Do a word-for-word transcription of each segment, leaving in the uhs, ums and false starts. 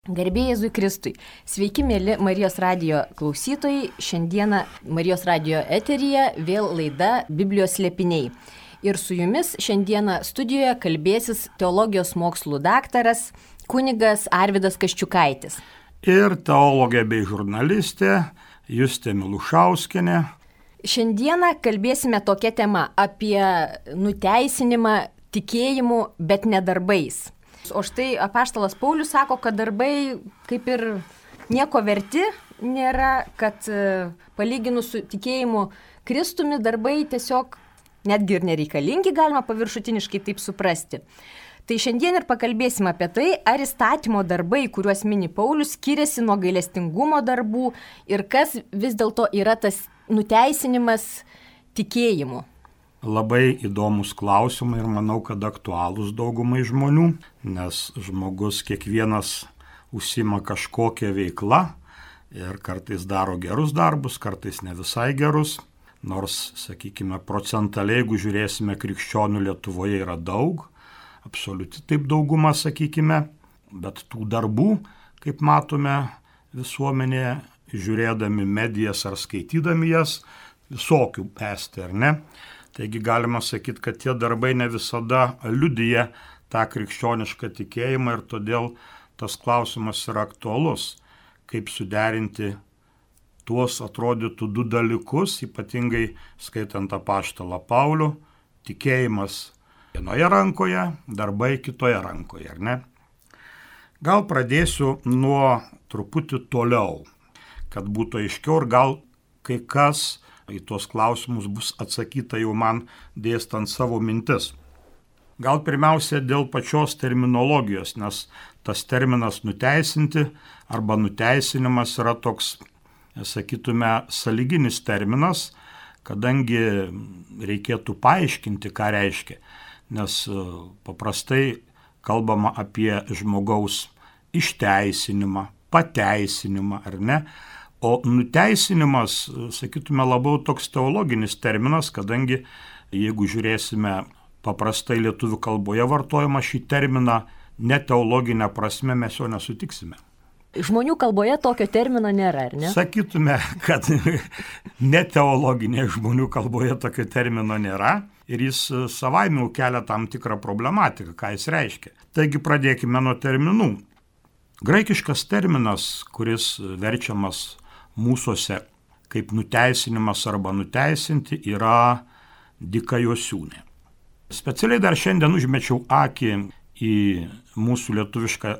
Garbė Jėzui Kristui. Sveiki, mėly Marijos radijo klausytojai. Šiandieną Marijos radijo eteryje vėl laida Biblijos slėpiniai. Ir su jumis šiandieną studijoje kalbėsis teologijos mokslų daktaras kunigas Arvydas Kaščiukaitis. Ir teologė bei žurnalistė Justė Milušauskienė. Šiandieną kalbėsime tokia tema apie nuteisinimą tikėjimu, bet ne darbais. O štai apaštalas Paulius sako, kad darbai kaip ir nieko verti nėra, kad palyginus su tikėjimu Kristumi darbai tiesiog netgi ir nereikalingi, galima paviršutiniškai taip suprasti. Tai šiandien ir pakalbėsime apie tai, ar įstatymo darbai, kuriuos mini Paulius, skiriasi nuo gailestingumo darbų ir kas vis dėlto yra tas nuteisinimas tikėjimu. Labai įdomus klausimai ir manau, kad aktualūs daugumai žmonių, nes žmogus kiekvienas užsima kažkokią veiklą ir kartais daro gerus darbus, kartais ne visai gerus. Nors, sakykime, procentaliai, jeigu žiūrėsime, krikščionių Lietuvoje yra daug, absoliuti taip dauguma, sakykime, bet tų darbų, kaip matome visuomenėje, žiūrėdami medijas ar skaitydami jas, visokių esti, ar ne? Taigi galima sakyti, kad tie darbai ne visada liudija tą krikščionišką tikėjimą ir todėl tas klausimas yra aktualus, kaip suderinti tuos atrodytų du dalykus, ypatingai skaitant apaštalą Paulių, tikėjimas vienoje rankoje, darbai kitoje rankoje, ar ne? Gal pradėsiu nuo truputį toliau, kad būtų aiškiau ir gal kai kas į tuos klausimus bus atsakyta jau man dėstant savo mintis. Gal pirmiausia dėl pačios terminologijos, nes tas terminas nuteisinti arba nuteisinimas yra toks, sakytume, sąlyginis terminas, kadangi reikėtų paaiškinti, ką reiškia, nes paprastai kalbama apie žmogaus išteisinimą, pateisinimą, ar ne? O nuteisinimas, sakytume, labiau toks teologinis terminas, kadangi jeigu žiūrėsime paprastai lietuvių kalboje vartojama šį terminą, ne teologinę prasme mes jo nesutiksime. Žmonių kalboje tokio termino nėra, ar ne? Sakytume, kad ne teologinė žmonių kalboje tokio termino nėra ir jis savaime kelia tam tikrą problematiką, ką jis reiškia. Taigi pradėkime nuo terminų. Graikiškas terminas, kuris verčiamas mūsuose kaip nuteisinimas arba nuteisinti, yra dikaiosiūnė. Specialiai dar šiandien užmečiau akį į mūsų lietuvišką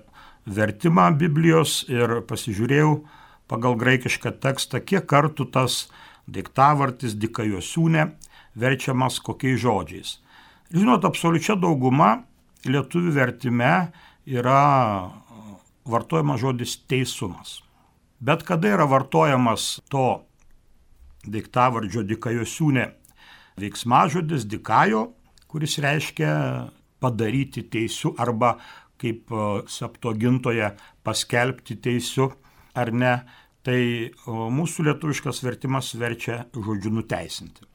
vertimą Biblijos ir pasižiūrėjau pagal graikišką tekstą, kiek kartų tas daiktavardis dikaiosiūnė verčiamas kokiais žodžiais. Žinot, absoliučia dauguma lietuvių vertime yra vartojama žodis teisumas. Bet kada yra vartojamas to daiktavardžio dikaiosiūnė veiksmažodis dikajo, kuris reiškia padaryti teisiu arba kaip septuagintoje paskelbti teisiu ar ne, tai mūsų lietuviškas vertimas verčia žodžiu nuteisinti.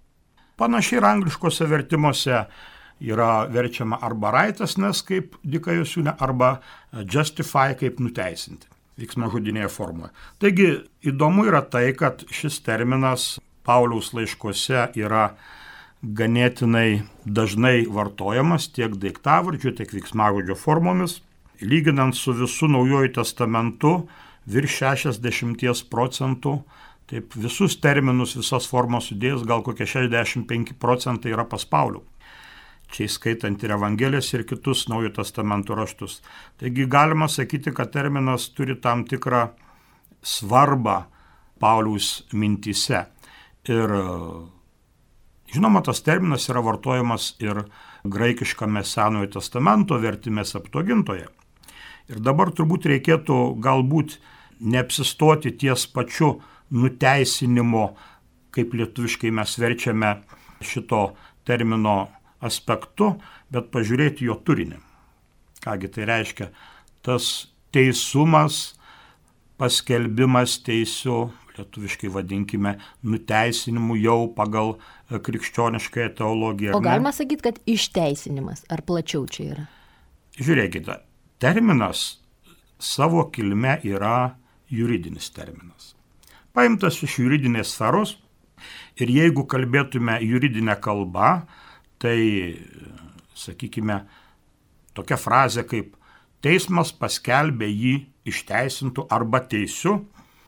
Panašiai ir angliškose vertimuose yra verčiama arba righteousness kaip dikaiosiūnė arba justify kaip nuteisinti. Veiksmažodinėje formoje. Taigi įdomu yra tai, kad šis terminas Pauliaus laiškuose yra ganėtinai dažnai vartojamas tiek daiktavardžiu, tiek veiksmažodžio formomis. Lyginant su visu Naujuoju testamentu, virš šešiasdešimt procentų, taip visus terminus, visas formas sudėjus, gal kokie šešiasdešimt penki procentai yra pas Paulių. Čia įskaitant ir Evangelijas ir kitus Naujojo testamento raštus. Taigi galima sakyti, kad terminas turi tam tikrą svarbą Pauliaus mintyse. Ir žinoma, tas terminas yra vartojamas ir graikiškame Senojo testamento vertime Septuagintoje. Ir dabar turbūt reikėtų galbūt neapsistoti ties pačiu nuteisinimo, kaip lietuviškai mes verčiame šito termino aspektu, bet pažiūrėti jo turinį. Kągi tai reiškia? Tas teisumas, paskelbimas teisiu, lietuviškai vadinkime nuteisinimu jau pagal krikščioniškąją teologiją. O galima sakyti, kad išteisinimas, ar plačiau čia yra? Žiūrėkite, terminas savo kilme yra juridinis terminas. Paimtas iš juridinės sferos ir jeigu kalbėtume juridinę kalbą, tai, sakykime, tokia frazė kaip teismas paskelbė jį išteisintų arba teisiu,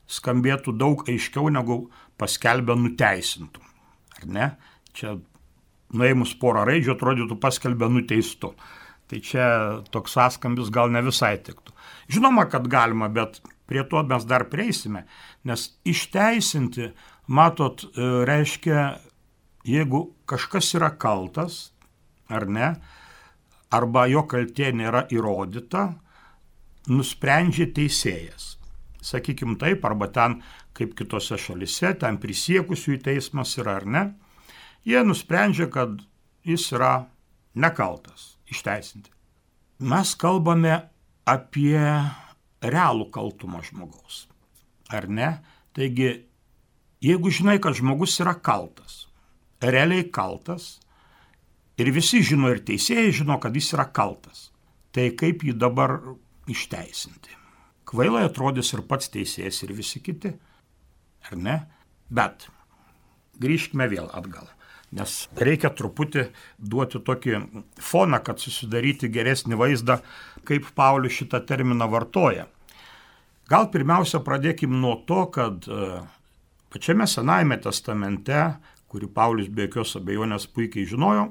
skambėtų daug aiškiau negu paskelbė nuteisintų. Ar ne? Čia nuėmus porą raidžių atrodytų paskelbė nuteistu. Tai čia toks sąskambis gal ne visai tiktų. Žinoma, kad galima, bet prie to mes dar prieisime, nes išteisinti, matot, reiškia, jeigu kažkas yra kaltas, ar ne, arba jo kaltė nėra įrodyta, nusprendžia teisėjas. Sakykim taip, arba ten, kaip kitose šalise, ten prisiekusiųjų teismas yra, ar ne, jie nusprendžia, kad jis yra nekaltas, išteisinti. Mes kalbame apie realų kaltumą žmogaus, ar ne? Taigi, jeigu žinai, kad žmogus yra kaltas, realiai kaltas, ir visi žino, ir teisėjai žino, kad jis yra kaltas, tai kaip jį dabar išteisinti? Kvailai atrodys ir pats teisėjas, ir visi kiti, ar ne? Bet grįžkime vėl atgal, nes reikia truputį duoti tokį foną, kad susidaryti geresnį vaizdą, kaip Paulius šitą terminą vartoja. Gal pirmiausia pradėkim nuo to, kad pačiame Senajame testamente, kurį Paulius be jokios abejonės puikiai žinojo,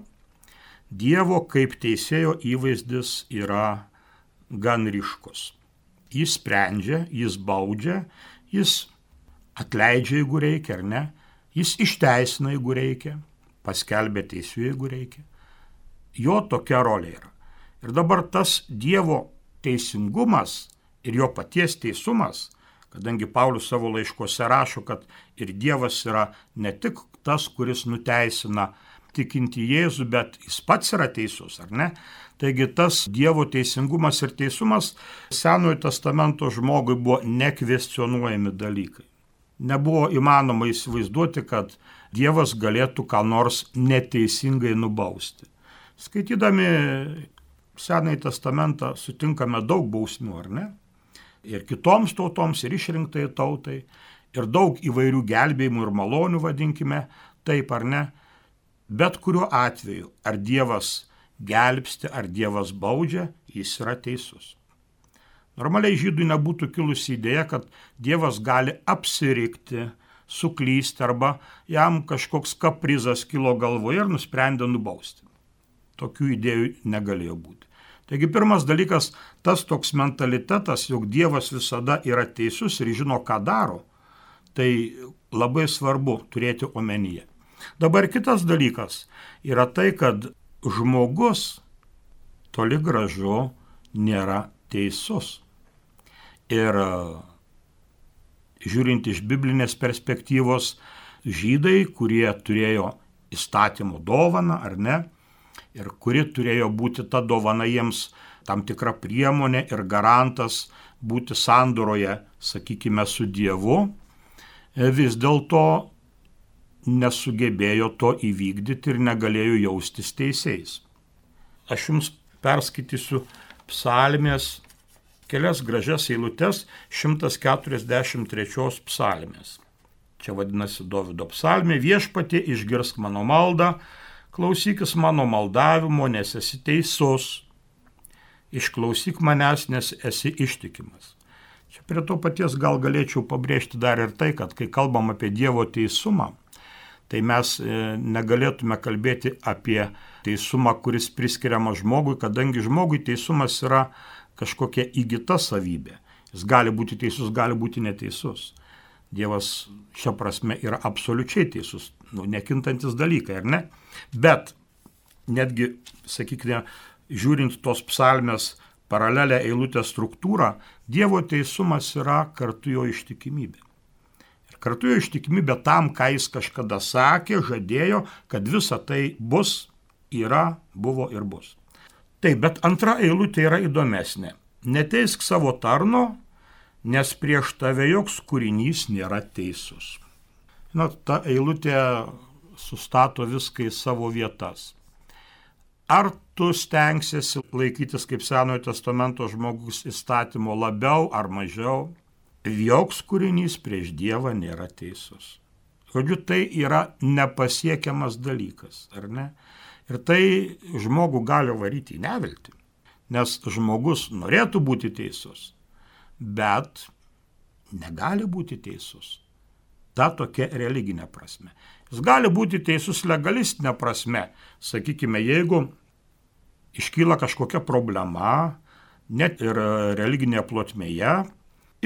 Dievo kaip teisėjo įvaizdis yra gan ryškus. Jis sprendžia, jis baudžia, jis atleidžia, jeigu reikia, ar ne, jis išteisina, jeigu reikia, paskelbia teisių, jeigu reikia. Jo tokia rolė yra. Ir dabar tas Dievo teisingumas ir jo paties teisumas, kadangi Paulius savo laiškuose rašo, kad ir Dievas yra ne tik tas, kuris nuteisina tikinti Jėzų, bet jis pats yra teisus, ar ne? Taigi tas Dievo teisingumas ir teisumas Senojo testamento žmogui buvo nekvestionuojami dalykai. Nebuvo įmanoma įsivaizduoti, kad Dievas galėtų ką nors neteisingai nubausti. Skaitydami Senąjį testamentą sutinkame daug bausmių, ar ne? Ir kitoms tautoms, ir išrinktai tautai, ir daug įvairių gelbėjimų ir malonių, vadinkime, taip ar ne? Bet kuriuo atveju, ar Dievas gelbsti, ar Dievas baudžia, jis yra teisus. Normaliai žydui nebūtų kilusi idėja, kad Dievas gali apsirikti, suklysti, arba jam kažkoks kaprizas kilo galvoje ir nusprendė nubausti. Tokių idėjų negalėjo būti. Taigi pirmas dalykas, tas toks mentalitetas, jog Dievas visada yra teisus ir žino, ką daro, tai labai svarbu turėti omenyje. Dabar kitas dalykas yra tai, kad žmogus toli gražu nėra teisus. Ir žiūrint iš biblinės perspektyvos, žydai, kurie turėjo įstatymo dovaną, ar ne, ir kuri turėjo būti ta dovana jiems tam tikra priemonė ir garantas būti sandoroje, sakykime, su Dievu, vis dėlto nesugebėjo to įvykdyti ir negalėjo jaustis teisėjais. Aš jums perskaitysiu psalmės kelias gražias eilutes šimtas keturiasdešimt trečios psalmės. Čia vadinasi Dovydo psalmė: Viešpatie, išgirsk mano maldą, klausykis mano maldavimo, nes esi teisus. Išklausyk manęs, nes esi ištikimas. Čia prie to paties gal galėčiau pabrėžti dar ir tai, kad kai kalbam apie Dievo teisumą, tai mes negalėtume kalbėti apie teisumą, kuris priskiriamas žmogui, kadangi žmogui teisumas yra kažkokia įgyta savybė. Jis gali būti teisus, gali būti neteisus. Dievas šia prasme yra absoliučiai teisus, nu, nekintantis dalykai, ar ne? Bet netgi, sakykime, žiūrint tos psalmės paralelę eilutę struktūrą, Dievo teisumas yra kartu jo ištikimybė. Kartu jo ištikimybė tam, ką jis kažkada sakė, žadėjo, kad visa tai bus, yra, buvo ir bus. Taip, bet antra eilutė yra įdomesnė. Neteisk savo tarno, nes prieš tave joks kūrinys nėra teisus. Na, ta eilutė sustato viską į savo vietas. ar tu stengsiesi laikytis kaip Senojo testamento žmogus įstatymo labiau ar mažiau, joks kūrinys prieš Dievą nėra teisus. Žodžiu, tai yra nepasiekiamas dalykas, ar ne? Ir tai žmogų gali varyti į neviltį, nes žmogus norėtų būti teisus, bet negali būti teisus. Ta tokia religinė prasme. Jis gali būti teisus legalistinė prasme. Sakykime, jeigu iškyla kažkokia problema, net ir religinėje plotmėje,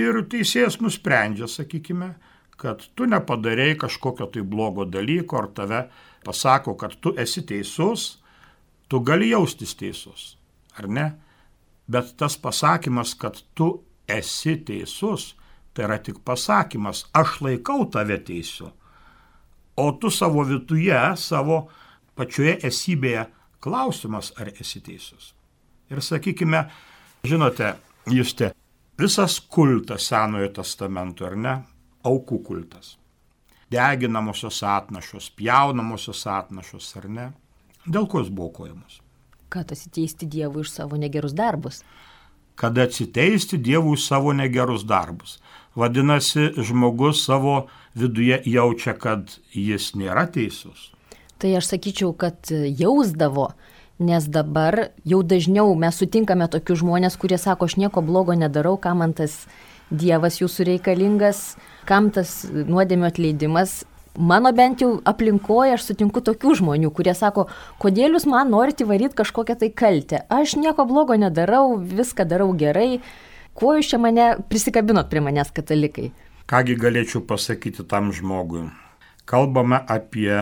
ir teisėjas nusprendžia, sakykime, kad tu nepadarei kažkokio tai blogo dalyko, ar tave pasako, kad tu esi teisus, tu gali jaustis teisus, ar ne? Bet tas pasakymas, kad tu esi teisus, tai yra tik pasakymas, aš laikau tave teisiu, o tu savo viduje, savo pačioje esybėje klausimas, ar esi teisus. Ir sakykime, žinote, Juste, visas kultas Senojo testamento, ar ne? Aukų kultas. Deginamosios atnašos, pjaunamosios atnašos, ar ne? Dėl ko jis buvo aukojamos? Kad atsiteisti Dievui už savo negerus darbus. Kad atsiteisti Dievui už savo negerus darbus. Vadinasi, žmogus savo viduje jaučia, kad jis nėra teisus. Tai aš sakyčiau, kad jausdavo, nes dabar jau dažniau mes sutinkame tokius žmonės, kurie sako, aš nieko blogo nedarau, kam man tas Dievas jūsų reikalingas, kam tas nuodėmio atleidimas. Mano bent jau aplinkoje aš sutinku tokių žmonių, kurie sako, kodėl jūs man norite įvaryti kažkokią tai kaltę. Aš nieko blogo nedarau, viską darau gerai. Kuo jūs čia mane prisikabinot prie manęs, katalikai? Kągi galėčiau pasakyti tam žmogui? Kalbame apie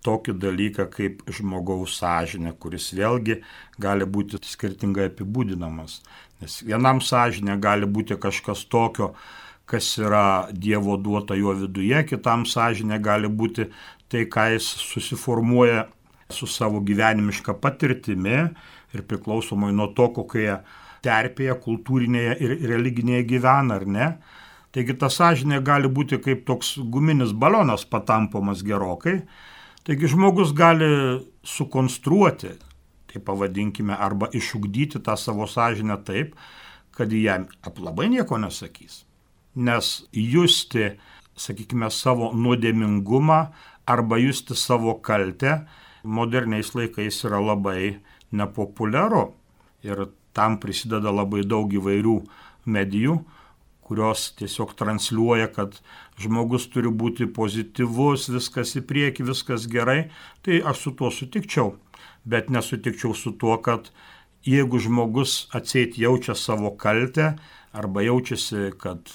tokį dalyką kaip žmogaus sąžinė, kuris vėlgi gali būti skirtingai apibūdinamas. Nes vienam sąžinė gali būti kažkas tokio, kas yra Dievo duota jo viduje, kitam sąžinė gali būti tai, ką jis susiformuoja su savo gyvenimiška patirtimi ir priklausomai nuo to, kokioje terpėje, kultūrinėje ir religinėje gyvena, ar ne. Taigi ta sąžinė gali būti kaip toks guminis balionas patampomas gerokai. Taigi žmogus gali sukonstruoti, tai pavadinkime, arba išugdyti tą savo sąžinę taip, kad jam labai nieko nesakys. Nes justi, sakykime, savo nuodėmingumą arba justi savo kaltę moderniais laikais yra labai nepopuliaru. Ir tam prisideda labai daug įvairių medijų, kurios tiesiog transliuoja, kad žmogus turi būti pozityvus, viskas į priekį, viskas gerai. Tai aš su tuo sutikčiau, bet nesutikčiau su tuo, kad jeigu žmogus atseit jaučia savo kaltę arba jaučiasi, kad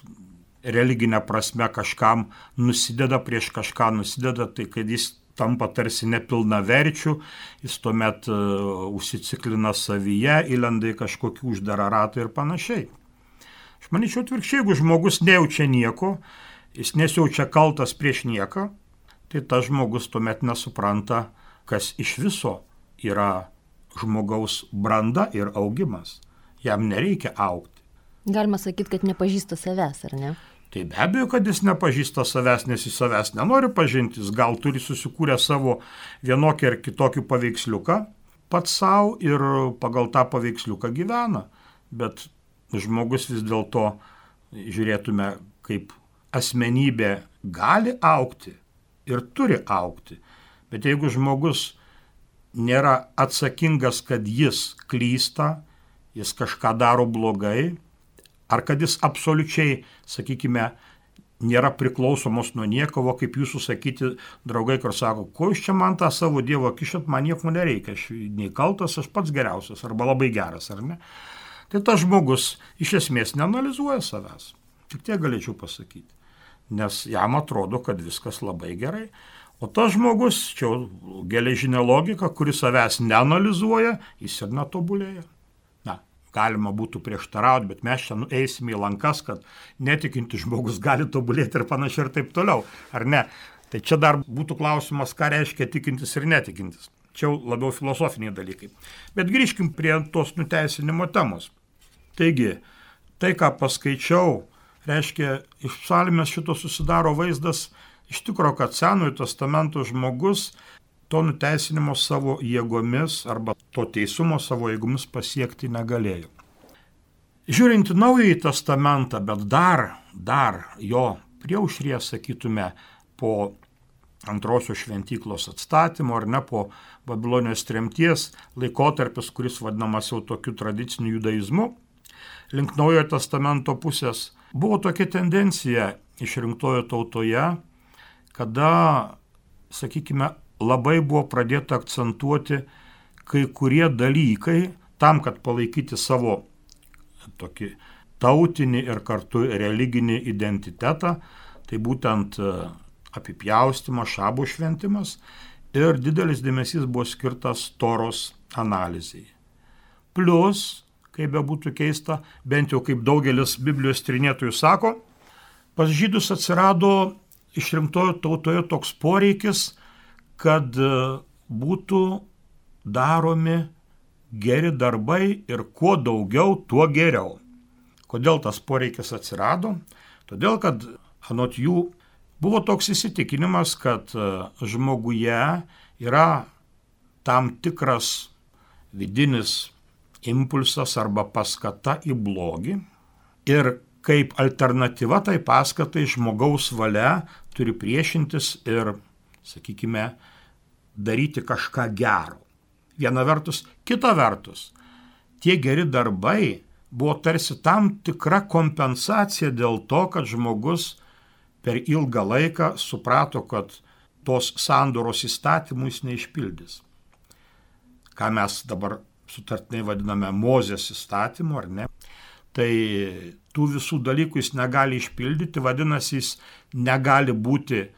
religinė prasme kažkam nusideda, prieš kažką nusideda, tai kad jis tampa tarsi nepilnaverčių, jis tuomet uh, užsiciklina savyje, įlenda į kažkokį uždarą ratą ir panašiai. Aš manyčiau atvirkščiai, jeigu žmogus nejaučia nieko, jis nesijaučia kaltas prieš nieką, tai tas žmogus tuomet nesupranta, kas iš viso yra žmogaus branda ir augimas. Jam nereikia augti. Galima sakyti, kad nepažįsta savęs, ar ne? Tai be abejo, kad jis nepažįsta savęs, nes jis savęs nenori pažinti, jis gal turi susikūrę savo vienokį ar kitokį paveiksliuką pats savo ir pagal tą paveiksliuką gyvena. Bet žmogus vis dėlto, žiūrėtume, kaip asmenybė gali augti ir turi augti. Bet jeigu žmogus nėra atsakingas, kad jis klysta, jis kažką daro blogai, ar kad jis absoliučiai, sakykime, nėra priklausomos nuo niekovo, kaip jūsų sakyti draugai, kur sako, ko iš čia man tą savo Dievo kišat, man nieko nereikia, aš nei kaltas, aš pats geriausias, arba labai geras, ar ne? Tai tas žmogus iš esmės neanalizuoja savęs. Tik tiek galėčiau pasakyti. Nes jam atrodo, kad viskas labai gerai. O tas žmogus, čia geležinė logika, kuris savęs neanalizuoja, jis ir netobulėja. Na, galima būtų prieštarauti, bet mes čia eisime į lankas, kad netikinti žmogus gali tobulėti ir panašiai ir taip toliau. Ar ne? Tai čia dar būtų klausimas, ką reiškia tikintis ir netikintis. Čia labiau filosofiniai dalykai. Bet grįžkim prie tos nuteisinimo temos. Taigi, tai, ką paskaičiau, reiškia, iš psalmės šito susidaro vaizdas iš tikro, kad Senojo testamento žmogus to nuteisinimo savo jėgomis arba to teisumo savo jėgomis pasiekti negalėjo. Žiūrint į Naująjį testamentą, bet dar, dar jo priaušryje, sakytume, po antrosios šventyklos atstatymo ar ne po Babilonijos tremties laikotarpis, kuris vadinamas jau tokiu tradiciniu judaizmu, link Naujojo testamento pusės, buvo tokia tendencija išrinktojo tautoje, kada, sakykime, labai buvo pradėta akcentuoti kai kurie dalykai tam, kad palaikyti savo tokį tautinį ir kartu religinį identitetą, tai būtent apipjaustymas, šabo šventimas ir didelis dėmesys buvo skirtas Toros analizai. Plus, kaip bebūtų keista, bent jau kaip daugelis Biblijos tyrinėtojų sako, pas žydus atsirado išrinktojo tautoje toks poreikis, kad būtų daromi geri darbai ir kuo daugiau, tuo geriau. Kodėl tas poreikis atsirado? Todėl, kad anot jų buvo toks įsitikinimas, kad žmoguje yra tam tikras vidinis impulsas arba paskata į blogį ir kaip alternatyva tai paskatai žmogaus valia turi priešintis ir, sakykime, daryti kažką gero. Viena vertus, kita vertus, tie geri darbai buvo tarsi tam tikra kompensacija dėl to, kad žmogus per ilgą laiką suprato, kad tos sandoros įstatymų jis neišpildys. Ką mes dabar sutartinai vadiname Mozės įstatymu, ar ne? Tai tų visų dalykų jis negali išpildyti, vadinasi, jis negali būti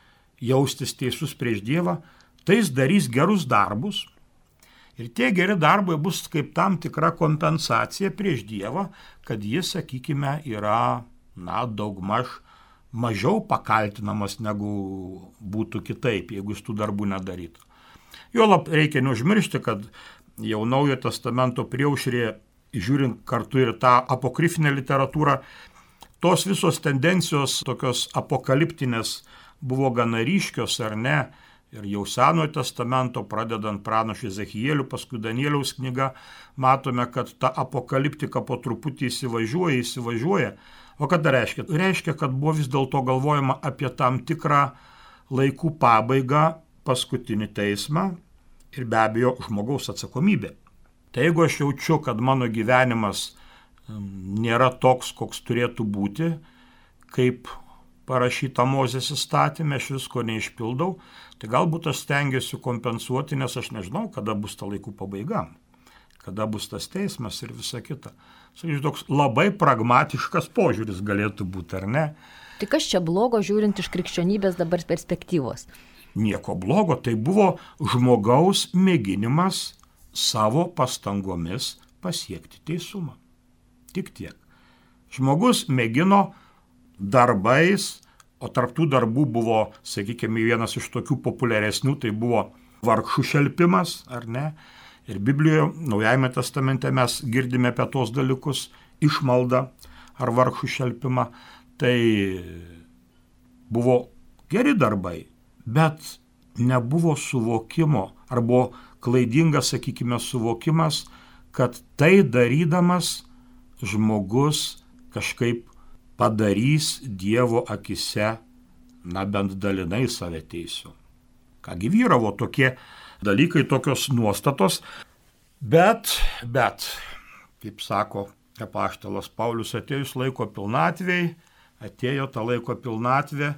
jaustis teisus prieš Dievą, tai jis darys gerus darbus. Ir tie geri darbai bus kaip tam tikra kompensacija prieš Dievą, kad jis, sakykime, yra, na, daugmaž mažiau pakaltinamas negu būtų kitaip, jeigu jis tų darbų nedarytų. Juolab reikia neužmiršti, kad jau Naujojo testamento priaušrėje, žiūrint kartu ir tą apokrifinę literatūrą, tos visos tendencijos tokios apokaliptinės buvo gana ryškios, ar ne? Ir jau Senojo testamento, pradedant pranašu Ezechieliu, paskui Danieliaus knyga, matome, kad ta apokaliptika po truputį įsivažiuoja, įsivažiuoja. O ką tai reiškia? Reiškia, kad buvo vis dėlto galvojama apie tam tikrą laikų pabaigą, paskutinį teismą ir be abejo žmogaus atsakomybę. Tai jeigu aš jaučiu, kad mano gyvenimas nėra toks, koks turėtų būti, kaip parašyta Mozės įstatymė, aš visko neišpildau, tai galbūt aš stengiuosi kompensuoti, nes aš nežinau, kada bus ta laikų pabaiga, kada bus tas teismas ir visa kita. Sakyčiau, toks labai pragmatiškas požiūris galėtų būti, ar ne? Tai kas čia blogo, žiūrint iš krikščionybės dabar perspektyvos? Nieko blogo, tai buvo žmogaus mėginimas savo pastangomis pasiekti teisumą. Tik tiek. Žmogus mėgino darbais, o tarptų darbų buvo, sakykime, vienas iš tokių populiaresnių, tai buvo vargšų šelpimas, ar ne? Ir Biblijoje, Naujajame testamente mes girdime apie tos dalykus, išmaldą ar vargšų šelpimą. Tai buvo geri darbai, bet nebuvo suvokimo, ar buvo klaidingas, sakykime, suvokimas, kad tai darydamas žmogus kažkaip padarys Dievo akise, na bent dalinai save teisiu. Kągi vyravo tokie dalykai, tokios nuostatos, bet, bet, kaip sako apaštalas Paulius, atėjus laiko pilnatvei, atėjo ta laiko pilnatvė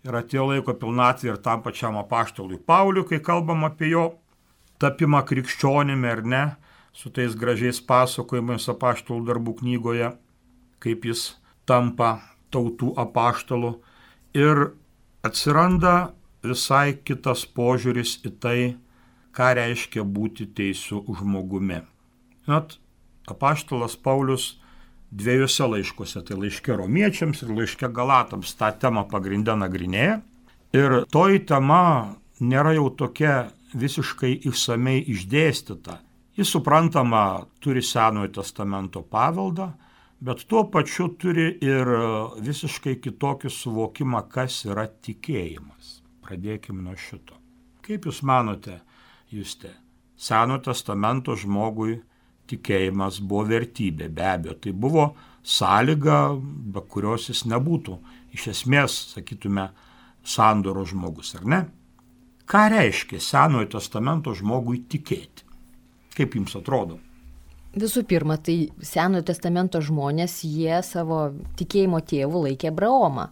ir atėjo laiko pilnatvė ir tam pačiam apaštalui Pauliui, kai kalbam apie jo tapimą krikščionimi ar ne, su tais gražiais pasakojimais apaštalų darbų knygoje, kaip jis tampa tautų apaštalu ir atsiranda visai kitas požiūris į tai, ką reiškia būti teisiu žmogumi. Net apaštalas Paulius dviejose laiškuose, tai laiške romiečiams ir laiške galatams, tą temą pagrindę nagrinėja. Ir toji tema nėra jau tokia visiškai išsamei išdėstyta. Jis suprantama turi Senojo testamento paveldą, bet tuo pačiu turi ir visiškai kitokį suvokimą, kas yra tikėjimas. Pradėkime nuo šito. Kaip Jūs manote, Juste. Senojo testamento žmogui tikėjimas buvo vertybė, be abejo. Tai buvo sąlyga, be kurios jis nebūtų iš esmės, sakytume, sandoro žmogus, ar ne? Ką reiškia Senojo testamento žmogui tikėti? Kaip jums atrodo? Visų pirma, tai Senojo testamento žmonės, jie savo tikėjimo tėvų laikė Abraomą.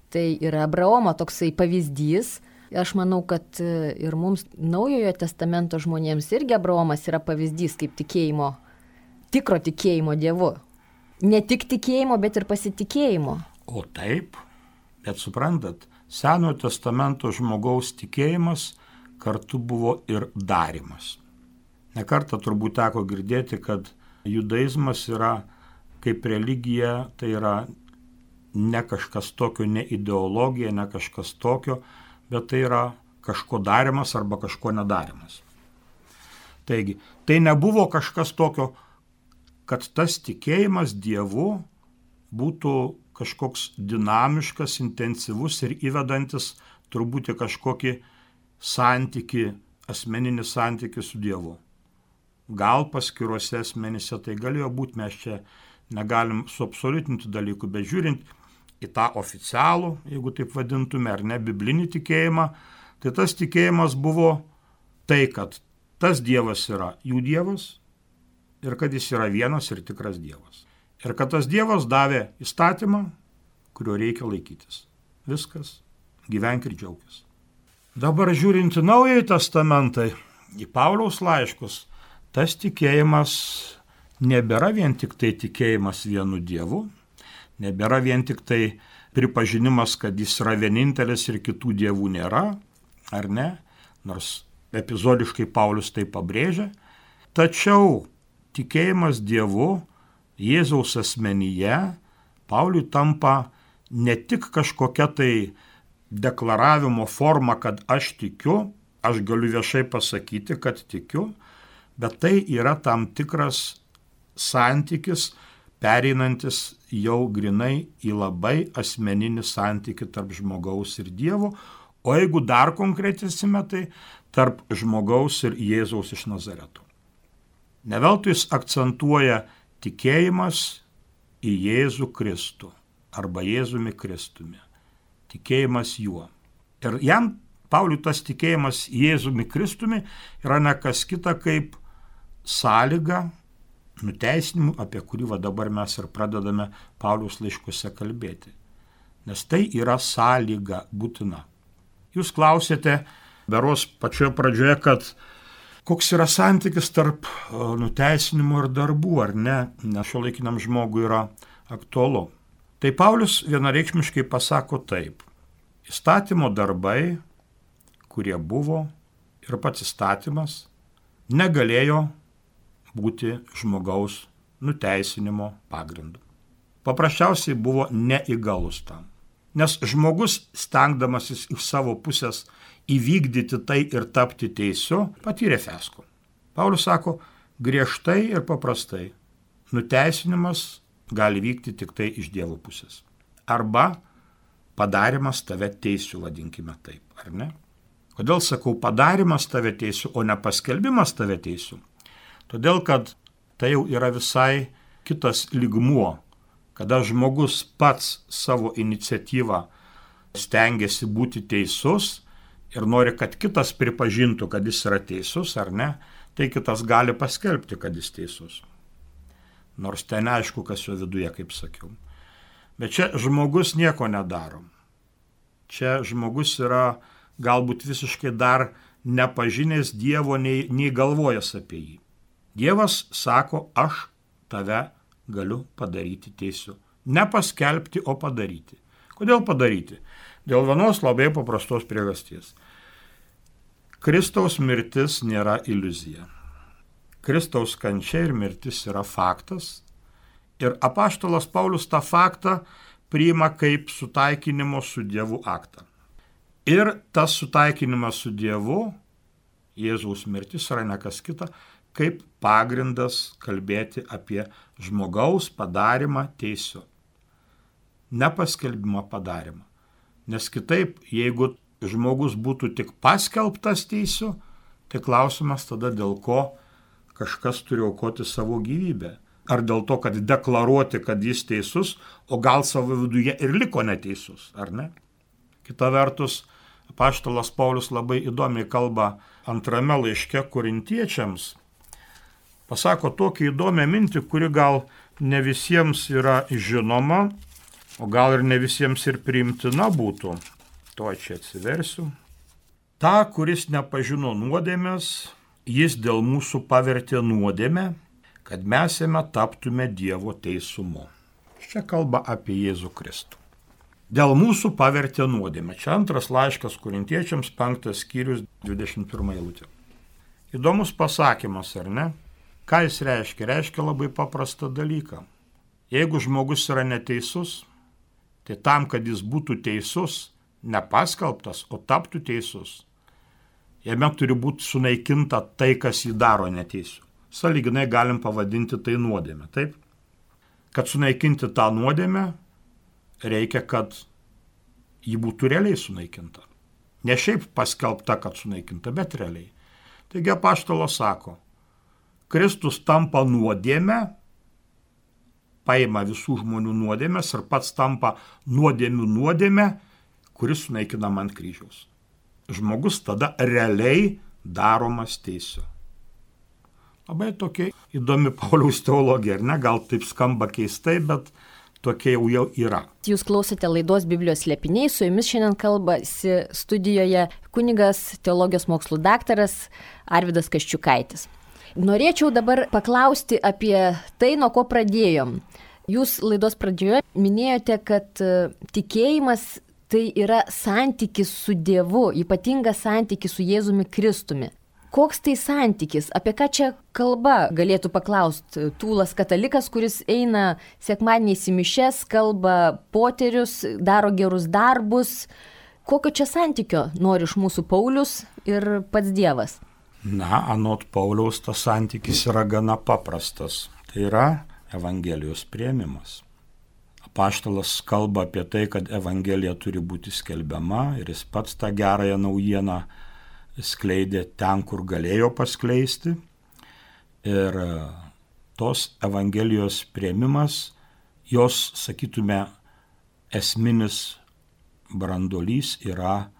Tai yra Abraomo toksai pavyzdys. Aš manau, kad ir mums Naujojo testamento žmonėms irgi Abraomas yra pavyzdys kaip tikėjimo, tikro tikėjimo Dievu. Ne tik tikėjimo, bet ir pasitikėjimo. O taip, bet suprantat, Senojo testamento žmogaus tikėjimas kartu buvo ir darymas. Nekartą turbūt teko girdėti, kad judaizmas yra kaip religija, tai yra ne kažkas tokio, ne ideologija, ne kažkas tokio, bet tai yra kažko darimas arba kažko nedarimas. Taigi, tai nebuvo kažkas tokio, kad tas tikėjimas Dievu būtų kažkoks dinamiškas, intensyvus ir įvedantis turbūt į kažkokį santykį, asmeninį santykį su Dievu. Gal paskiruose asmenyse tai galėjo būti, mes čia negalim suabsoliutinti dalykų, bet žiūrint į tą oficialų, jeigu taip vadintume, ar ne, biblinį tikėjimą, tai tas tikėjimas buvo tai, kad tas Dievas yra jų Dievas ir kad jis yra vienas ir tikras Dievas. Ir kad tas Dievas davė įstatymą, kurio reikia laikytis. Viskas, gyvenk ir džiaugis. Dabar žiūrint į Naująjį testamentą, į Pauliaus laiškus, tas tikėjimas nebėra vien tik tai tikėjimas vienu Dievu, nebėra vien tik tai pripažinimas, kad jis yra vienintelis ir kitų dievų nėra, ar ne, nors epizodiškai Paulius tai pabrėžia. Tačiau tikėjimas Dievu, Jėzaus asmenyje, Pauliui tampa ne tik kažkokia tai deklaravimo forma, kad aš tikiu, aš galiu viešai pasakyti, kad tikiu, bet tai yra tam tikras santykis, pereinantis jau grinai į labai asmeninį santykį tarp žmogaus ir Dievo, o jeigu dar konkretesime, tai tarp žmogaus ir Jėzaus iš Nazareto. Neveltui jis akcentuoja tikėjimas į Jėzų Kristų arba Jėzumi Kristumi. Tikėjimas juo. Ir jam, Pauliui, tas tikėjimas Jėzumi Kristumi yra ne kas kita kaip sąlyga nuteisinimu, apie kurį va dabar mes ir pradedame Pauliaus laiškuose kalbėti. Nes tai yra sąlyga būtina. Jūs klausėte, beros pačioje pradžioje, kad koks yra santykis tarp nuteisinimo ir darbų, ar ne, nes šiuolaikiniam žmogui yra aktualu. Tai Paulius vienareikšmiškai pasako taip. Įstatymo darbai, kurie buvo, ir pats įstatymas negalėjo būti žmogaus nuteisinimo pagrindu. Paprasčiausiai buvo neįgalus tam. Nes žmogus, stengdamasis iš savo pusės įvykdyti tai ir tapti teisiu, patyrė fiasko. Paulius sako, griežtai ir paprastai, nuteisinimas gali vykti tik tai iš Dievo pusės. Arba padarimas tave teisiu, vadinkime taip, ar ne? Kodėl sakau padarimas tave teisiu, o ne paskelbimas tave teisiu? Todėl, kad tai jau yra visai kitas lygmuo, kada žmogus pats savo iniciatyvą stengiasi būti teisus ir nori, kad kitas pripažintų, kad jis yra teisus ar ne, tai kitas gali paskelbti, kad jis teisus. Nors ten neaišku, kas jo viduje, kaip sakiau. Bet čia žmogus nieko nedaro. Čia žmogus yra galbūt visiškai dar nepažinęs Dievo, nei, nei galvojęs apie jį. Dievas sako, aš tave galiu padaryti teisiu. Ne paskelbti, o padaryti. Kodėl padaryti? Dėl vienos labai paprastos priežasties. Kristaus mirtis nėra iliuzija. Kristaus kančia ir mirtis yra faktas. Ir apaštalas Paulius tą faktą priima kaip sutaikinimo su Dievu aktą. Ir tas sutaikinimas su Dievu, Jėzaus mirtis yra ne kas kita, kaip pagrindas kalbėti apie žmogaus padarimą teisiu. Nepaskelbimą padarimą. Nes kitaip, jeigu žmogus būtų tik paskelbtas teisiu, Tai klausimas tada, dėl ko kažkas turi aukoti savo gyvybę. Ar dėl to, kad deklaruoti, kad jis teisus, o gal savo viduje ir liko neteisus, ar ne? Kita vertus, apaštalas Paulius labai įdomiai kalba antrame laiške korintiečiams. Pasako tokią įdomią mintį, kuri gal ne visiems yra žinoma, o gal ir ne visiems ir priimtina būtų. To čia atsiversiu. Ta, kuris nepažino nuodėmės, jis dėl mūsų pavertė nuodėmę, kad mes jame taptume Dievo teisumu. Čia kalba apie Jėzų Kristų. Dėl mūsų pavertė nuodėmę. Čia antras laiškas korintiečiams, penktas skyrius, dvidešimt pirma eilutė. Įdomus pasakymas, ar ne? Ką jis reiškia? Reiškia labai paprastą dalyką. Jeigu žmogus yra neteisus, tai tam, kad jis būtų teisus, nepaskelbtas, o taptų teisus, jame turi būti sunaikinta tai, kas jį daro neteisiu. Sąlyginai galim pavadinti tai nuodėmę, taip? Kad sunaikinti tą nuodėmę, reikia, kad ji būtų realiai sunaikinta. Ne šiaip paskelbta, kad sunaikinta, bet realiai. Taigi apaštalas sako, Kristus tampa nuodėmę, paima visų žmonių nuodėmės ir pats tampa nuodėmių nuodėmę, kuris sunaikinama ant kryžiaus. Žmogus tada realiai daromas teisiu. Labai tokia įdomi Pauliaus teologija, ar ne? Gal taip skamba keistai, bet tokia jau, jau yra. Jūs klausote laidos Biblijos slėpiniai, su jumis šiandien kalbasi studijoje kunigas, teologijos mokslų daktaras Arvydas Kaščiukaitis. Norėčiau dabar paklausti apie tai, nuo ko pradėjom. Jūs laidos pradžioje minėjote, kad tikėjimas tai yra santykis su Dievu, ypatingas santykis su Jėzumi Kristumi. Koks tai santykis? Apie ką čia kalba, galėtų paklausti tūlas katalikas, kuris eina sekmadieniais į mišias, kalba poterius, daro gerus darbus. Kokio čia santykio nori iš mūsų Paulius ir pats Dievas? Na, anot Pauliaus tas santykis yra gana paprastas. Tai yra Evangelijos priėmimas. Apaštalas kalba apie tai, kad Evangelija turi būti skelbiama ir jis pats tą gerąją naujieną skleidė ten, kur galėjo paskleisti. Ir tos Evangelijos priėmimas, jos, sakytume, esminis branduolys yra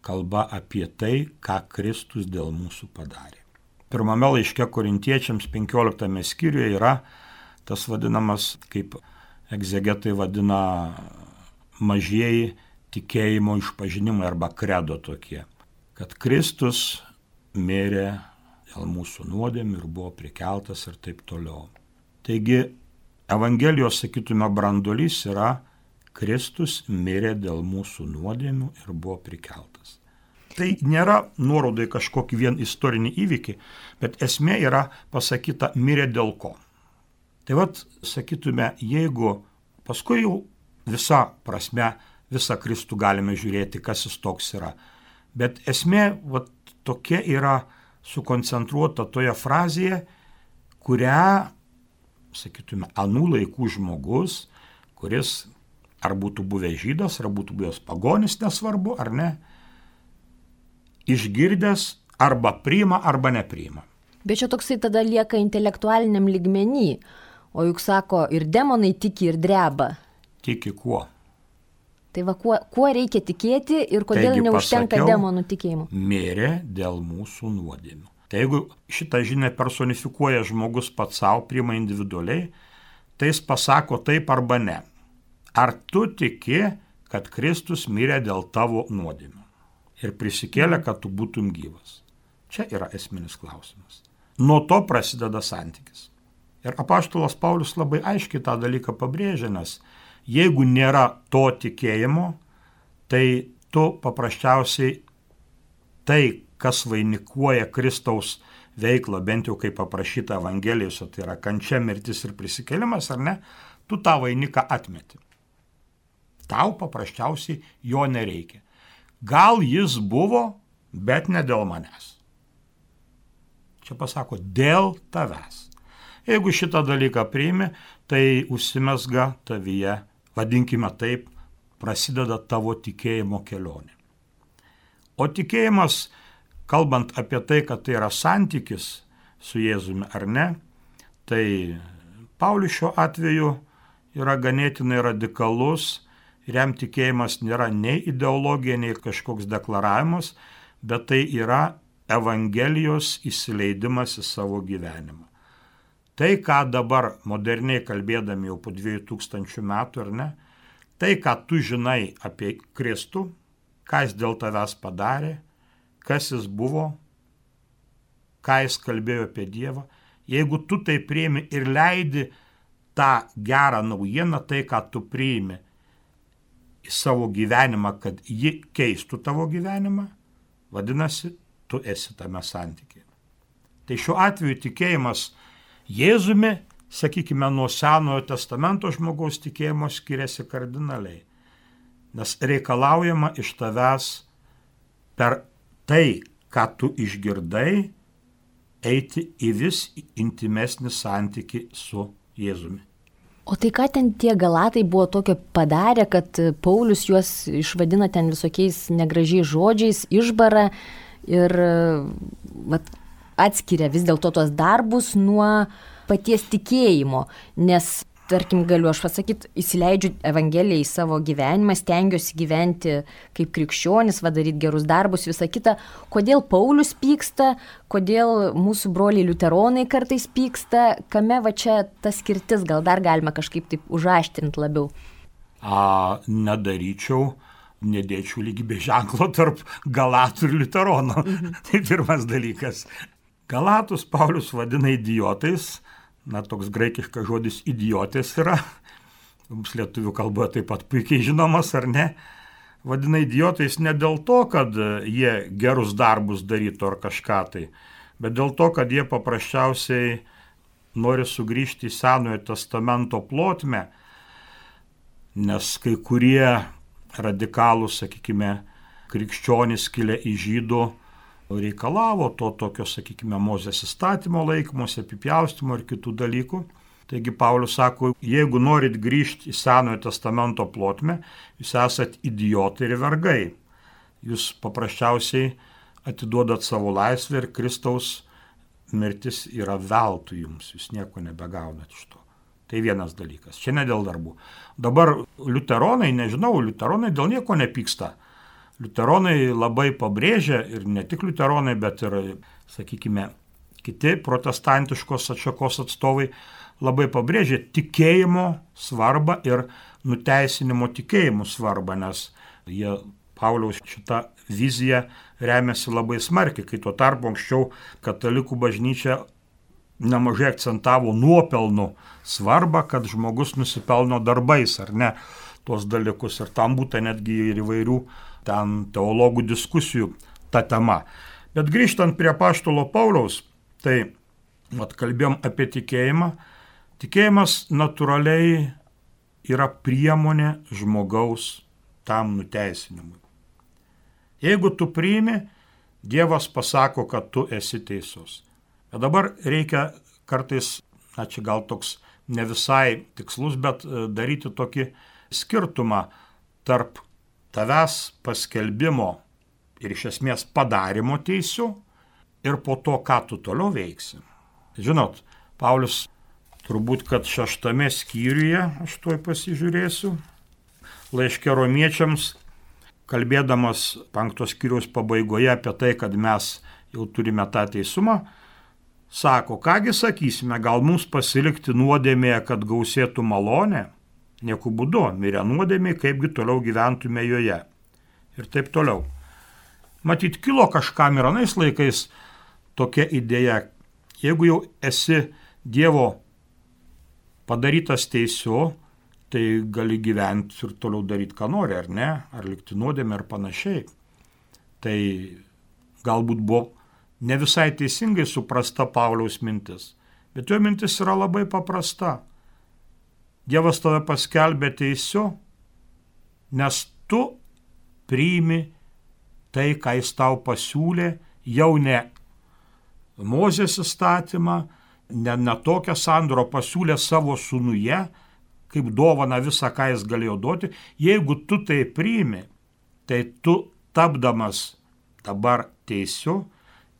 kalba apie tai, ką Kristus dėl mūsų padarė. Pirmame laiške korintiečiams penkioliktame skyriuje yra tas vadinamas, kaip egzegetai vadina, mažieji tikėjimo išpažinimai arba kredo tokie. Kad Kristus mirė dėl mūsų nuodėmių ir buvo prikeltas ir taip toliau. Taigi, Evangelijos, sakytume, branduolys yra Kristus mirė dėl mūsų nuodėmių ir buvo prikeltas. Tai nėra nuoroda į kažkokį vien istorinį įvykį, bet esmė yra pasakyta mirė dėl ko. Tai vat, sakytume, jeigu paskui jau visa prasme, visą Kristų galime žiūrėti, kas jis toks yra. Bet esmė vat, tokia yra sukoncentruota toje frazėje, kurią, sakytume, anų laikų žmogus, kuris ar būtų buvęs žydas, ar būtų buvęs pagonis, nesvarbu, ar ne, išgirdęs arba priima, arba nepriima. Bet čia toksai tada lieka intelektualiniam lygmenį, o juk sako, ir demonai tiki ir dreba. Tiki kuo? Tai va, kuo, kuo reikia tikėti ir kodėl Taigi, neužtenka pasakiau, demonų tikėjimo? Mirė dėl mūsų nuodėmių. Tai jeigu šitą žinią personifikuoja žmogus pats savo, priima individualiai, tai jis pasako taip arba ne. Ar tu tiki, kad Kristus mirė dėl tavo nuodėmių ir prisikėlė, kad tu būtum gyvas? Čia yra esminis klausimas. Nuo to prasideda santykis. Ir apaštalas Paulius labai aiškiai tą dalyką pabrėžia, nes jeigu nėra to tikėjimo, tai tu paprasčiausiai tai, kas vainikuoja Kristaus veiklą, bent jau kaip aprašyta Evangelijose, tai yra kančia, mirtis ir prisikėlimas, ar ne, tu tą vainiką atmeti. Tau paprasčiausiai jo nereikia. Gal jis buvo, bet ne dėl manęs. Čia pasako, dėl tavęs. Jeigu šitą dalyką priimi, tai užsimesga tavyje, vadinkime taip, prasideda tavo tikėjimo kelionė. O tikėjimas, kalbant apie tai, kad tai yra santykis su Jėzumi ar ne, tai Paulius šiuo atveju yra ganėtinai radikalus ir jam tikėjimas nėra nei ideologija, nei kažkoks deklaravimas, bet tai yra Evangelijos įsileidimas į savo gyvenimą. Tai, ką dabar moderniai kalbėdami jau po dviejų tūkstančių metų, ar ne, tai, ką tu žinai apie Kristų, ką jis dėl tavęs padarė, kas jis buvo, ką jis kalbėjo apie Dievą, jeigu tu tai priimi ir leidi tą gerą naujieną, tai, ką tu priimi į savo gyvenimą, kad ji keistų tavo gyvenimą, vadinasi, tu esi tame santykiai. Tai šiuo atveju tikėjimas Jėzumi, sakykime, nuo Senojo testamento žmogaus tikėjimo skiriasi kardinaliai, nes reikalaujama iš tavęs per tai, ką tu išgirdai, eiti į vis intimesnį santykį su Jėzumi. O tai ką ten tie Galatai buvo tokio padarę, kad Paulius juos išvadina ten visokiais negražiais žodžiais, išbara ir vat, atskiria vis dėlto tos darbus nuo paties tikėjimo, nes, tarkim, galiu aš pasakyti, įsileidžiu Evangeliją į savo gyvenimą, stengiuosi gyventi kaip krikščionis, daryti gerus darbus, visą kitą. Kodėl Paulius pyksta, kodėl mūsų broliai liuteronai kartais pyksta, kame va čia ta skirtis, gal dar galima kažkaip taip užaštrinti labiau? A, nedaryčiau, nedėčiau lygybės ženklo tarp Galatų ir liuteronų. Mhm. Tai pirmas dalykas. Galatus Paulius vadina idiotais. Na, toks graikiškas žodis idiotės yra, mums lietuvių kalboje taip pat puikiai žinomas, ar ne? Vadina idiotais ne dėl to, kad jie gerus darbus darytų ar kažką tai, bet dėl to, kad jie paprasčiausiai nori sugrįžti į Senojo testamento plotmę, nes kai kurie radikalūs, sakykime, krikščionys kilę iš žydų, reikalavo to tokio, sakykime, Mozės įstatymo laikymosi, apipjaustimo ir kitų dalykų. Taigi Paulius sako, jeigu norit grįžti į Senojo testamento plotmę, jūs esat idiotai ir vergai. Jūs paprasčiausiai atiduodat savo laisvę ir Kristaus mirtis yra veltui jums, jūs nieko nebegaunat iš to. Tai vienas dalykas, čia ne dėl darbų. Dabar liuteronai, nežinau, liuteronai dėl nieko nepyksta. Liuteronai labai pabrėžia, ir ne tik liuteronai, bet ir, sakykime, kiti protestantiškos atšakos atstovai labai pabrėžia tikėjimo svarbą ir nuteisinimo tikėjimų svarbą, nes jie Pauliaus šitą viziją remiasi labai smarkiai, kai tuo tarpu anksčiau katalikų bažnyčia nemažai akcentavo nuopelnų svarbą, kad žmogus nusipelno darbais, ar ne, tuos dalykus, ir tam būtų netgi ir įvairių ten teologų diskusijų ta tema. Bet grįžtant prie apaštalo Pauliaus, tai vat, kalbėjom apie tikėjimą. Tikėjimas natūraliai yra priemonė žmogaus tam nuteisinimui. Jeigu tu priimi, Dievas pasako, kad tu esi teisus. Bet dabar reikia kartais, na čia gal toks ne visai tikslus, bet daryti tokį skirtumą tarp tavęs paskelbimo ir iš esmės padarimo teisių ir po to, ką tu toliau veiksi. Žinot, Paulius turbūt, kad šeštame skyriuje, aš tuoj pasižiūrėsiu, laiške romiečiams, kalbėdamas penktos skyriaus pabaigoje apie tai, kad mes jau turime tą teisumą, sako, kągi sakysime, gal mums pasilikti nuodėmėje, kad gausėtų malonė? Nieku būdu, mirę nuodėmiai, kaipgi toliau gyventume joje. Ir taip toliau. Matyt, kilo kažkam ir anais laikais tokia idėja, jeigu jau esi Dievo padarytas teisiu, tai gali gyventi ir toliau daryti, ką nori, ar ne, ar likti nuodėmė ar panašiai. Tai galbūt buvo ne visai teisingai suprasta Pauliaus mintis, bet jo mintis yra labai paprasta. Dievas tave paskelbė teisiu, nes tu priimi tai, ką jis tau pasiūlė, jau ne Mozės įstatymą, ne, ne tokią sandorą pasiūlė savo sūnuje, kaip dovana visą, ką jis galėjo duoti. Jeigu tu tai priimi, tai tu tapdamas dabar teisiu,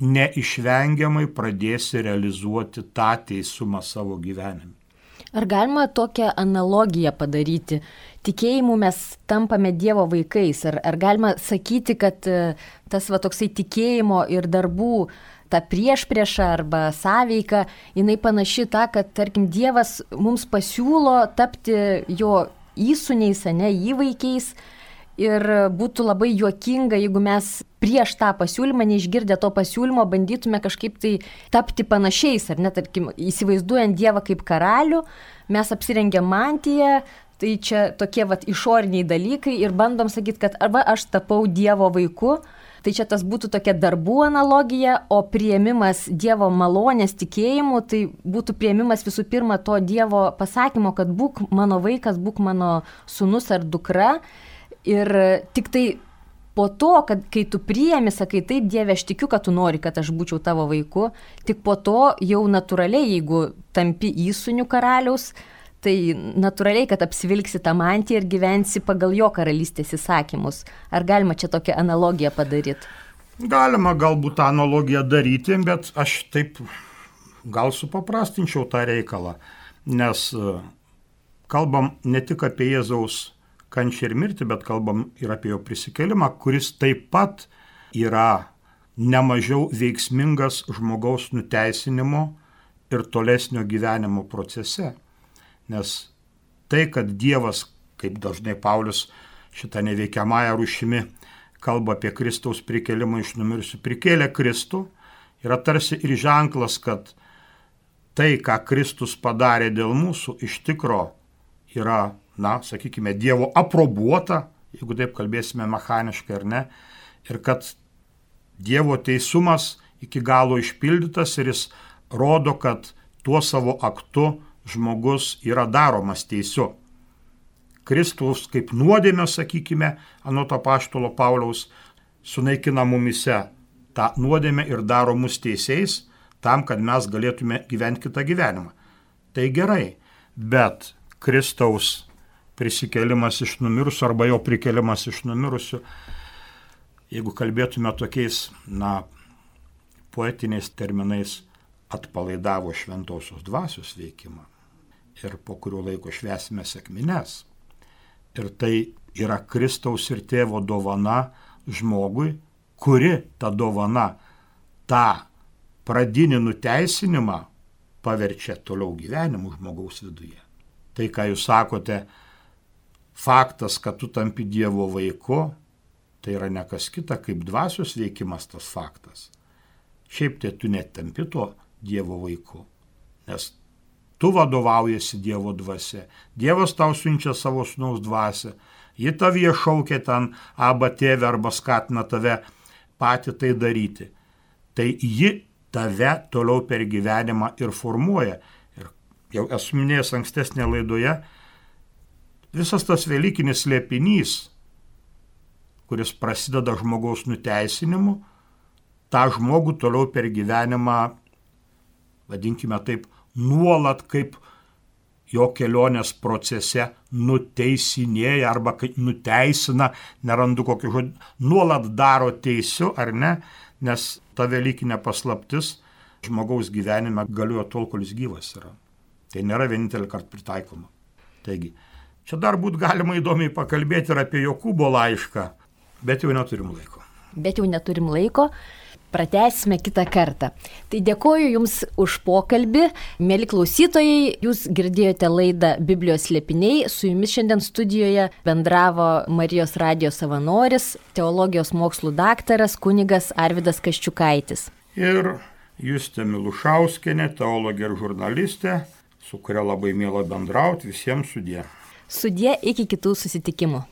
neišvengiamai pradėsi realizuoti tą teisumą savo gyvenime. Ar galima tokią analogiją padaryti? Tikėjimu mes tampame Dievo vaikais. Ar, ar galima sakyti, kad tas va, toksai tikėjimo ir darbų ta priešprieša arba sąveika, jinai panaši tą, kad, tarkim, Dievas mums pasiūlo tapti jo įsūniais, ne, įvaikiais. Ir būtų labai juokinga, jeigu mes prieš tą pasiūlymą, neišgirdę to pasiūlymo, bandytume kažkaip tai tapti panašiais, ar ne, tarkim, įsivaizduojant Dievą kaip karalių, mes apsirengiam mantiją, tai čia tokie vat išoriniai dalykai ir bandom sakyti, kad arba aš tapau Dievo vaiku, tai čia tas būtų tokia darbų analogija, o priėmimas Dievo malonės tikėjimu, tai būtų priėmimas visų pirma to Dievo pasakymo, kad būk mano vaikas, būk mano sūnus ar dukra. Ir tik tai po to, kad kai tu priėmi, sakai, taip, Dieve, aš tikiu, kad tu nori, kad aš būčiau tavo vaiku, tik po to jau natūraliai, jeigu tampi įsūniu karaliaus, tai natūraliai, kad apsivilksi tą mantiją ir gyvensi pagal jo karalystės įsakymus. Ar galima čia tokią analogiją padaryti? Galima galbūt tą analogiją daryti, bet aš taip gal supaprastinčiau tą reikalą, nes kalbam ne tik apie Jėzaus kančią ir mirtį, bet kalbam ir apie jo prisikėlimą, kuris taip pat yra nemažiau veiksmingas žmogaus nuteisinimo ir tolesnio gyvenimo procese. Nes tai, kad Dievas, kaip dažnai Paulius šitą neveikiamąją rūšimi kalba apie Kristaus prikėlimą iš numirusių, prikėlė Kristų, yra tarsi ir ženklas, kad tai, ką Kristus padarė dėl mūsų, iš tikro yra, na, sakykime, Dievo aprobuota, jeigu taip kalbėsime mechaniškai ar ne, ir kad Dievo teisumas iki galo išpildytas ir jis rodo, kad tuo savo aktu žmogus yra daromas teisiu. Kristus kaip nuodėmė, sakykime, anot apaštalo Pauliaus, sunaikina mumise tą nuodėmę ir daro mus teisiais tam, kad mes galėtume gyventi kitą gyvenimą. Tai gerai, bet Kristaus prisikėlimas iš numirusių arba jo prikėlimas iš numirusių, jeigu kalbėtume tokiais, na, poetiniais terminais, atpalaidavo šventosios dvasios veikimą ir po kurio laiko švęsime sekmines. Ir tai yra Kristaus ir tėvo dovana žmogui, kuri ta dovana tą pradinį nuteisinimą paverčia toliau gyvenimu žmogaus viduje. Tai, ką jūs sakote, faktas, kad tu tampi Dievo vaiku, tai yra ne kas kita kaip dvasios veikimas tas faktas. Šiaip tai tu netampi tuo Dievo vaiku, nes tu vadovaujasi Dievo dvasia. Dievas tau siunčia savo sūnaus dvasią, ji tavyje šaukia ten arba tėvę arba skatina tave patį tai daryti. Tai ji tave toliau per gyvenimą ir formuoja. Ir jau esu minėjęs ankstesnėje laidoje, visas tas velykinis slėpinys, kuris prasideda žmogaus nuteisinimu, tą žmogų toliau per gyvenimą, vadinkime taip, nuolat kaip jo kelionės procese nuteisinėja arba nuteisina, nerandu kokį žodį, nuolat daro teisiu ar ne, nes ta velykinė paslaptis žmogaus gyvenime galioja tol, kol jis gyvas yra. Tai nėra vienintelį kartą pritaikoma. Taigi, čia dar būt galima įdomiai pakalbėti ir apie Jokūbo laišką, bet jau neturim laiko. Bet jau neturim laiko, pratęsime kitą kartą. Tai dėkoju Jums už pokalbį. Mėly klausytojai, Jūs girdėjote laidą Biblijos slėpiniai. Su Jumis šiandien studijoje bendravo Marijos radijo savanoris, teologijos mokslų daktaras kunigas Arvydas Kaščiukaitis. Ir Justė Milušauskienė, teologė ir žurnalistė, su kuria labai miela bendrauti. Visiems sudie. Sudie, iki kitų susitikimų.